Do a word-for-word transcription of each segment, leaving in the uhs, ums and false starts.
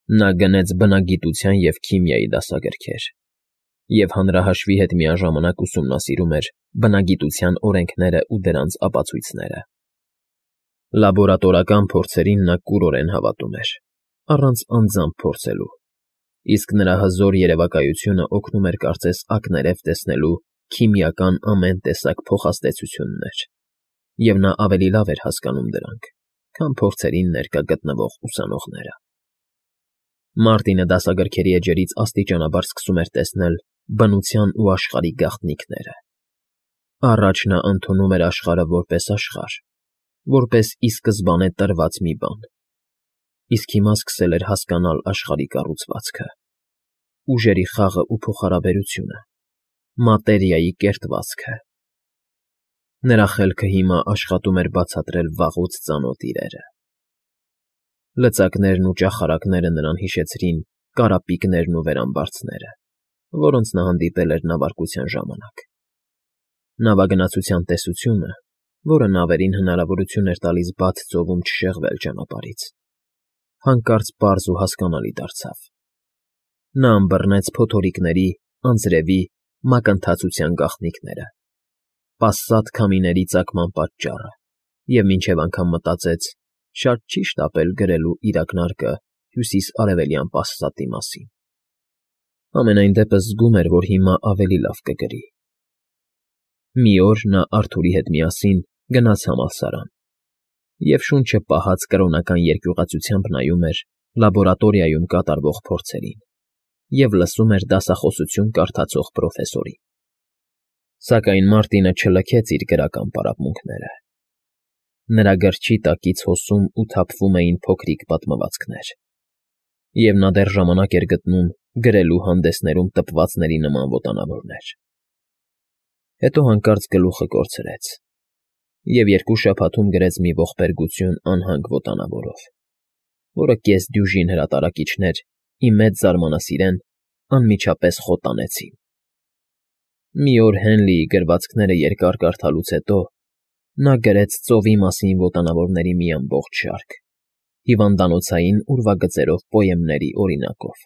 Նա գնեց բնագիտության և քիմիայի դասագրքեր և հանրահաշվի հետ միաժամանակ ուսումնասիրում էր բնագիտության օրենքներն ու դրանց ապացույցները։ Լաբորատորական փորձերին նա կուրորեն հավատում էր, առանց անձամբ փորձելու, իսկ նրա հզոր երևակայությունը օգնում էր կարծես ակներև տեսնելու քիմիական ամեն տեսակ փոխազդեցություններ, և նա ավելի լավ էր հասկանում դրանք, քան փորձերին ներկա գտնվող ուսանողները։ Մարտինը դասագրքերի էջերից աստիճանաբար սկսում էր տեսնել բնության ու աշխարհի գաղտնիքները։ Առաջ նա ընդունում էր աշխարհը որպես աշխարհ, որպես ի սկզբանե տրված մի բան, իսկ հիմա սկսել էր հասկանալ աշխարհի կառուցվածքը, ուժերի խաղն ու փոխհարաբերությունը, մատերիայի կերտվածքը։ Նրա խելքը հիմա աշխատում էր բացատրել վաղուց ծանոթ իրերը։ Լծակներն ու ճախարակները նրան հիշեցրին կարապիկներն ու վերամբարձները, որոնց նա հանդիպել էր նավարկության ժամանակ։ Նավագնացության տեսությունը, որը նավերին հնարավորություն էր տալիս բաց ծովում չշեղվել ճանապարհից, հանկարծ պարզ ու հասկանալի դարձավ։ Նա ըմբռնեց փոթորիկների, անձրևի, մակընթացության գաղտնիքները, պասատ քամիների ծագման պատճառը և մինչև անգամ մտածեց. շատ չի շտապել գրելու իր ակնարկը հյուսիս֊արևելյան պասատի մասին։ Համենայն դեպս զգում էր, որ հիմա ավելի լավ կգրի։ Մի օր նա Արթուրի հետ միասին գնաց համալսարան և շունչը պահած կրոնական երկյուղածությամբ նայում էր լաբորատորիայում կատարվող փորձերին և լսում էր դասախոսություն կարդացող պրոֆեսորին։ Սակայն Մարտինը չլքեց իր գրական պարապմունքները։ Նրա գրչի տակից հոսում ու թափվում էին փոքրիկ պատմվածքներ, և նա դեռ ժամանակ էր գտնում գրելու հանդեսներում տպվածների նման ոտանավորներ։ Հետո հանկարծ գլուխը կորցրեց և երկու շաբաթում գրեց մի ողբերգություն անհանգ ոտանավորով, որը կեսդյուժին հրատարակիչներ, ի մեծ զարմանասիրեն, անմիջապես խոտանեցին։ Մի օր Հենլիի գրվածքները երկար կարդալուց հետո նա գրեց ծովի մասին ոտանավորների մի ամբողջ շարք, հիվանդանոցային ուրվագծերով պոեմների օրինակով։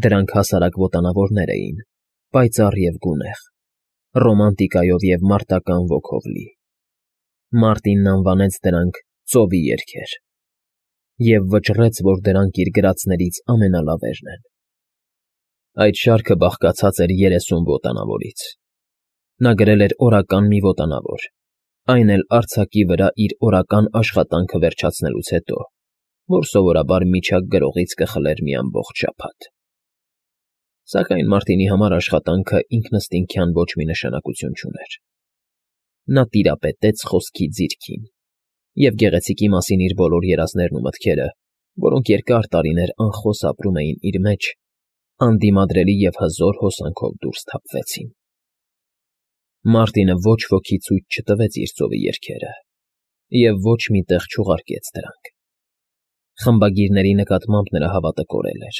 Դրանք հասարակ ոտանավորներ էին, պայծառ և գունեղ, ռոմանտիկայով և մարտական ոգով լի։ Մարտինն անվանեց դրանք «Ծովի երգեր» և վճռեց, որ դրանք իր գրածներից ամենալավերն են։ Այդ շարքը բաղկացած էր երեսուն ոտանավորից։ Նա գրել էր օրական մի ոտանավոր, այն էլ արձակի վրա իր օրական աշխատանքը վերջացնելուց հետո, որ սովորաբար միջակ գրողից կխլեր մի ամբողջ շաբաթ։ Սակայն Մարտինի համար աշխատանքը ինքնըստինքյան ոչ մի նշանակություն չուներ։ Նա տիրապետեց խոսքի ձիրքին և գեղեցիկի մասին իր բոլոր երազներն ու մտքերը, որոնք երկար տարիներ անխոս ապրում էին իր մեջ, անդիմադրելի և հզոր հոսանքով դուրս թափվեցին։ Մարտինը ոչ ոքի ցույց չտվեց իր ծովի երգերը և ոչ մի տեղ չուղարկեց դրանք։ Խմբագիրների նկատմամբ նրա հավատը կորել էր,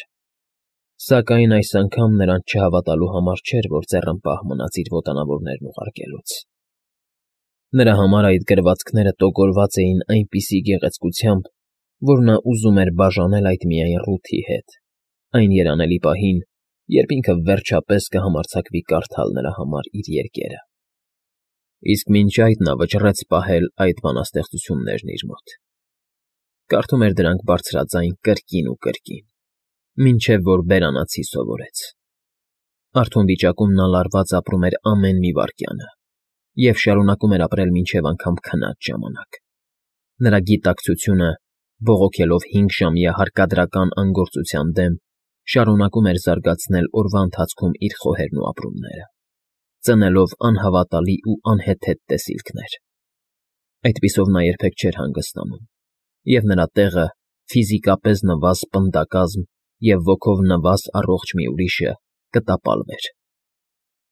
սակայն այս անգամ նրանց չհավատալու համար չէր, որ ձեռնպահ մնաց իր ոտանավորներն ուղարկելուց։ Նրա համար այդ գրվածքները տոգորված էին այնպիսի գեղեցկությամբ, որ նա ուզում էր բաժանել այդ միայն Ռութի հետ, այն երանելի պահին, երբ ինքը վերջապես կհամարձակվի կարդալ նրա համար իր երգերը։ Իսկ մինչ այդ նա վճռեց պահել այդ բանաստեղծություններն իր մոտ։ Կարդում էր դրանք բարձրաձայն կրկին ու կրկին, մինչև որ բերանացի սովորեց։ Արթուն վիճակում նա լարված ապրում էր ամեն մի վայրկյանը և շարունակում էր ապրել մինչև անգամ քնած ժամանակ։ Նրա գիտակցությունը, բողոքելով հինգժամյա հարկադրական անգործության դեմ, շարունակում էր զարգացնել օրվա ընթացքում իր խոհերն ու ապրումները, ծնելով անհավատալի ու անհեթեթ տեսիլքներ։ Այդպիսով նա երբեք չէր հանգստանում, և նրա տեղը ֆիզիկապես նվազ պնդակազմ և ոգով նվազ առողջ մի ուրիշը կտապալվեր։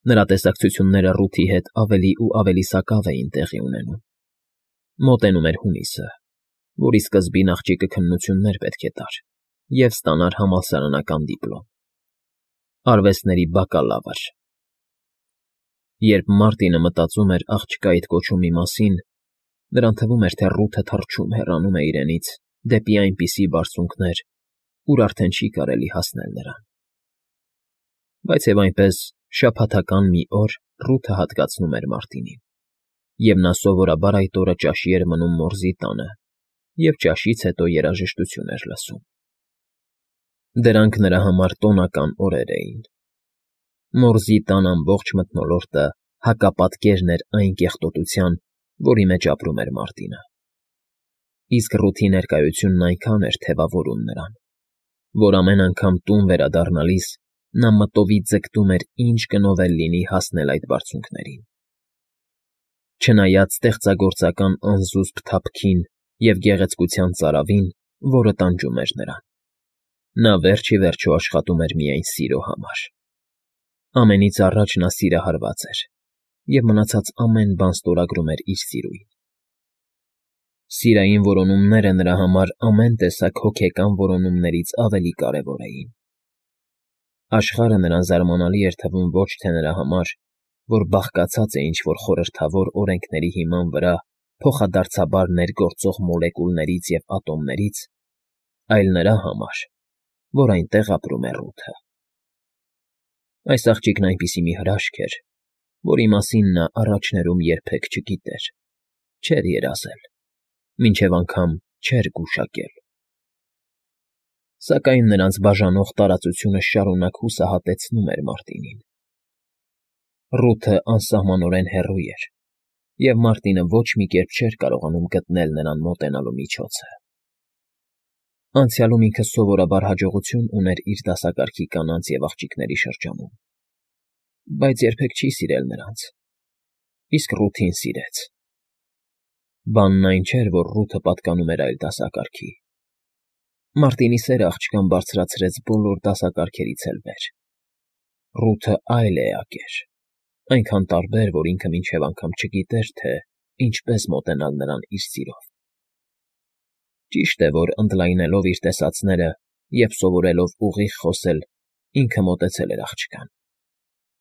Նրա տեսակցությունները Ռութի հետ ավելի ու ավելի սակավ էին տեղի ունենում։ Մոտենում էր հունիսը, որի սկզբին աղջիկը քննություններ պետք է տար և ստանար համալսարանական դիպլոմ, արվեստների բակալավր։ Երբ Մարտինը մտածում էր աղջկա այդ կոչումի մասին, նրան թվում էր, թե Ռութը թռչում հեռանում է իրենից դեպի այնպիսի բարձունքներ, ուր արդեն չի կարելի հասնել նրան։ Բայց և այնպես շաբաթական մի օր Ռութը հատկացնում էր Մարտինին, և նա սովորաբար այդ օրը ճաշի էր մնում մորզի տանը և ճաշից հետո երաժշտություն էր լսում։ Դրանք նրա համար տոնական օրեր էին։ Մորզի տան ամբողջ մթնոլորտը հակապատկերն էր այն կեղտոտության, որի մեջ ապրում էր Մարտինը։ Իսկ Ռութի ներկայությունն այնքան էր թևավորում նրան, որ ամեն անգամ տուն վերադառնալիս նա մտովի ձգտում էր ինչ գնով էլ լինի հասնել այդ բարձունքներին։ Չնայած ստեղծագործական անզուսպ թափքին և գեղեցկության ծարավին, որը տանջում էր նրան, նա վերջ ի վերջո աշխատում էր միայն սիրո համար։ Ամենից առաջ նա սիրահարված էր և մնացած ամեն բան ստորագրում էր իր սիրուին։ Սիրային որոնումները նրա համար ամեն տեսակ հոգեկան որոնումներից ավելի կարևոր էին։ Աշխարհը նրան զարմանալի էր թվում ոչ թե նրա համար, որ բաղկացած է ինչ-որ խորհրդավոր օրենքների հիման վրա փոխադարձաբար ներգործող մոլեկուլներից և ատոմներից, այլ նրա համար, որ այնտեղ ապրում է Ռութը։ Այս աղջիկն այնպիսի մի հրաշք էր, որի մասին նա առաջներում երբեք չգիտեր, չէր երազել, մինչև անգամ չէր գուշակել։ Սակայն նրանց բաժանող տարածությունը շարունակ հուսահատեցնում էր Մարտինին։ Ռութը անսահմանորեն հեռու էր, և Մարտինը ոչ մի կերպ չէր կարողանում գտնել նրան մոտենալու միջոցը։ Անցյալում ինքը սովորաբար հաջողություն ուներ իր դասակարգի կանանց և աղջիկների շրջանում, բայց երբեք չի սիրել նրանց, իսկ Ռութին սիրեց։ Բանն այն չէր, որ Ռութը պատկանում էր այլ դասակարգի։ Մարտինի սերը աղջկան բարձրացրեց բոլոր դասակարգերից էլ վեր։ Ռութը այլ էակ էր, այնքան տարբեր, որ ինքը մինչև անգամ չգիտեր, թե ինչպես մոտենալ նրան իր սիրով։ Ճիշտ է, որ ընդլայնելով իր տեսածները և սովորելով ուղիղ խոսել, ինքը մոտեցել էր աղջկան։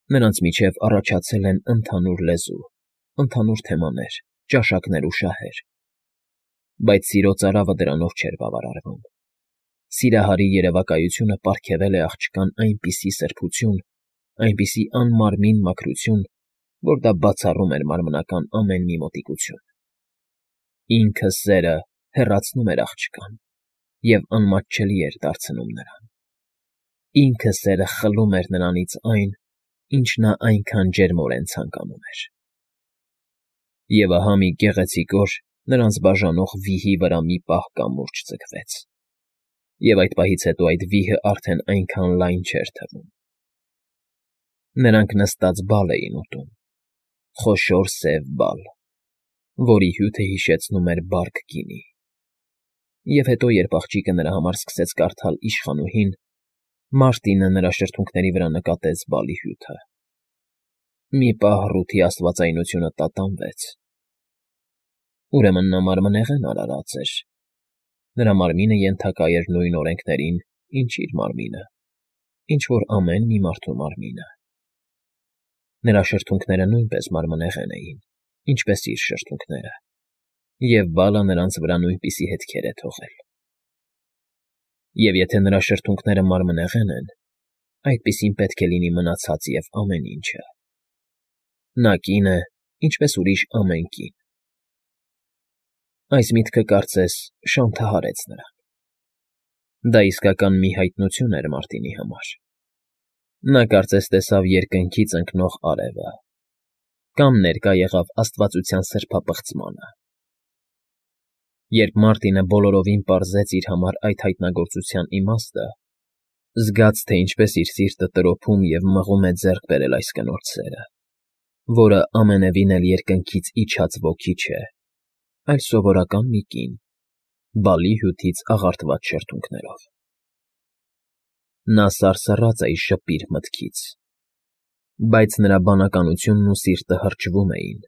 Նրանց միջև առաջացել են ընդհանուր լեզու, ընդհանուր թեմաներ, ճաշակներ ու շահեր։ Բայց սիրո ծարավը դրանով չէր բավարարվում։ Սիրահարի երևակայությունը պարգևել է աղջկան այնպիսի սրբություն, այնպիսի անմարմին մաքրություն, որ դա բացառում էր մարմնական ամեն մի մոտիկություն։ Ինքը սերը հեռացնում էր աղջկան և անմատչելի էր դարձնում նրան։ Ինքը սերը խլում էր նրանից այն, ինչ նա այնքան ջերմորեն ցանկանում էր։ Եվ ահա մի գեղեցիկ օր նրանց բաժանող վիհի վրա մի պահ կամուրջ ձգվեց, և այդ պահից հետո այդ վիհը արդեն այնքան լայն չէր թվում։ Նրանք նստած բալ էին ուտում, խոշոր սև բալ, որի հյութը հիշեցնում էր բարք գինի։ Եվ հետո, երբ աղջիկը նրա համար սկսեց կարդալ իշխանուհին, Մարտինը նրա շրթունքների վրա նկատեց բալի հյութը։ Մի պահ Ռութի աստվածայնությունը տատանվեց։ Ուրեմն նա մարմնեղեն արարած էր։ Նրա մարմինը ենթակա էր նույն օրենքներին, ինչ իր մարմինը, ինչ որ ամեն մի մարդու մարմինը։ Նրա շրթունքները նույնպես մարմնեղեն էին, ինչպես իր շրթունքները, և բալը նրանց վրա նույնպիսի հետքեր է թողել։ Եվ եթե նրա շրթունքները մարմնեղեն են, այդպիսին պետք է լինի մնացած և ամեն ինչը։ Նա կին է, ինչպես ուրիշ ամեն կին։ Այս միտքը, կարծես, շանթահարեց նրան։ Դա իսկական մի հայտնություն էր Մարտինի համար։ Նա կարծես տեսավ երկնքից ընկնող արևը, կամ ներկա եղավ աստվածության սրբապղծմանը։ Երբ Մարտինը բոլորովին պարզեց իր համար այդ հայտնագործության իմաստը, զգաց, թե ինչպես իր սիրտը տրոփում և մղում է ձեռք բերել այս կնոջ սերը, որը ամենևին էլ երկնքից իջած ոգի չէ, այլ սովորական մի կին, բալի հյութից աղարտված շրթունքներով։ Նա սարսռաց այս ժպիր մտքից, բայց նրա բանականությունն ու սիրտը հրճվում էին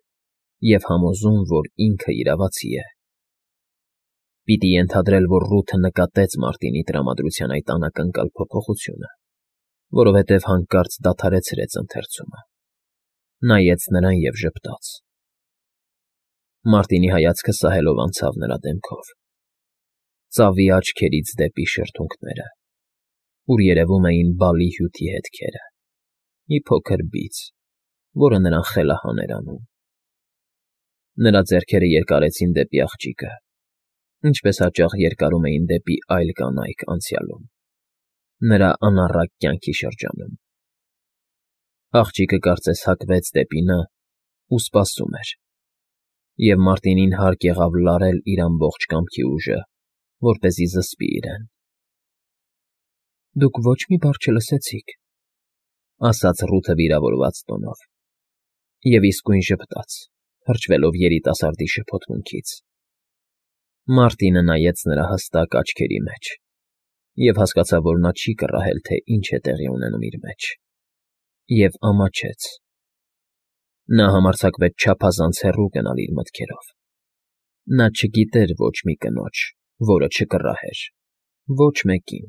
և համոզում, որ ինքը իրավացի է։ Պիտի ենթադրել, որ Ռութը նկատեց Մարտինի տրամադրության այդ անակնկալ փոփոխությունը, որովհետև հանկարծ դադարեցրեց ընթերցումը, նայեց նրան և ժպտաց։ Մարտինի հայացքը սահելով անցավ նրա դեմքով, ծավի աչքերից դեպի շրթունքները։ ուր երևում էին բալի հյութի հետքերը, մի փոքր բիծ, որը նրան խելահան էր անում։ Նրա ձեռքերը երկարեցին դեպի աղջիկը, ինչպես հաճախ երկարում էին դեպի այլ կանայք անցյալում, նրա անառակ կյանքի շրջանում։ Աղջիկը կարծես հակվեց դեպի նա ու սպասում էր, և Մարտինին հարկ եղավ լարել իր ամբողջ կամքի ուժը, որպեսզի զսպի իրեն։ ֊ Դուք ոչ մի բառ չլսեցիք,֊ ասաց Ռութը վիրավորված տոնով, և իսկույն ժպտաց, հրճվելով երիտասարդի շփոթմունքից։ Մարտինը նայեց նրա հստակ աչքերի մեջ և հասկացավ, որ նա չի կռահել, թե ինչ է տեղի ունենում իր մեջ, և ամաչեց։ Նա համարձակվեց չափազանց հեռու գնալ իր մտքերով։ Նա չգիտեր ոչ մի կնոջ, որը չկռահեր, ոչ մեկին,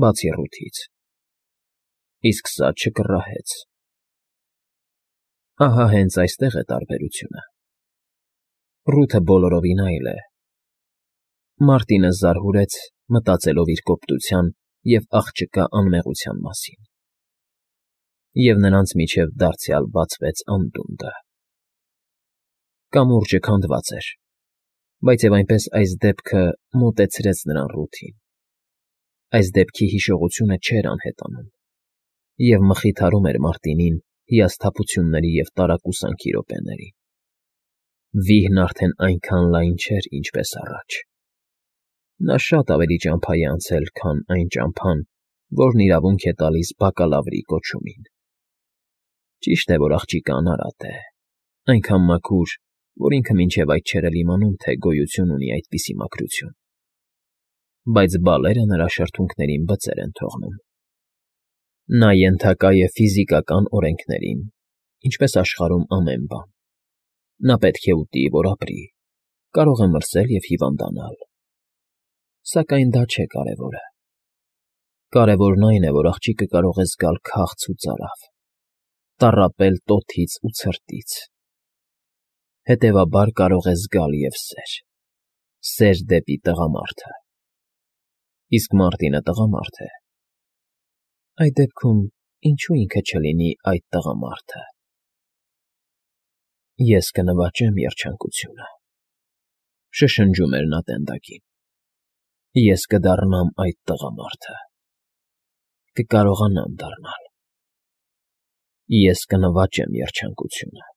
բացի Ռութից, իսկ սա չկռահեց։ Ահա հենց այստեղ է տարբերությունը. Ռութը բոլորովին այլ է։ Մարտինը զարհուրեց, մտածելով իր կոպտության և աղջկա անմեղության մասին, և նրանց միջև դարձյալ բացվեց անդունդը։ Կամուրջը քանդված էր, բայց և այնպես այս դեպքը մոտեցրեց նրան Ռութին։ Այս դեպքի հիշողությունը չէր անհետանում և մխիթարում էր Մարտինին հիասթափությունների և տարակուսանքի րոպեներին։ Վիհն արդեն այնքան լայն չէր, ինչպես առաջ։ Նա շատ ավելի ճամփա է անցել, քան այն ճամփան, որն իրավունք է տալիս բակալավրի կոչումին։ Ճիշտ է, որ աղջիկը անարատ է, այնքան մաքուր, որ ինքը մինչև այդ չէր էլ իմանում, թե գոյություն ունի այդպիսի մաքրություն, բայց բալերը նրա շրթունքներին բծեր են թողնում։ Նա ենթակա է ֆիզիկական օրենքներին, ինչպես աշխարհում ամեն բան։ Նա պետք է ուտի, որ ապրի, կարող է մրսել և հիվանդանալ։ Սակայն դա չէ կարևորը։ Կարևորն այն է, որ աղջիկը կարող է զգալ քաղց ու ծարավ, տառապել տոթից ու ցրտից, հետևաբար կարող է զգալ և սեր, սեր դեպի տղամարդը։ Իսկ Մարտինը տղամարդ է։ Այդ դեպքում ինչո՞ւ ինքը չլինի այդ տղամարդը։ Ես կնվաճեմ երջանկությունը,֊ շշնջում էր նա տենդակին։ Ես կդառնամ այդ տղամարդը, կկարողանամ դառնալ։ Ես կնվաճեմ երջանկությունը։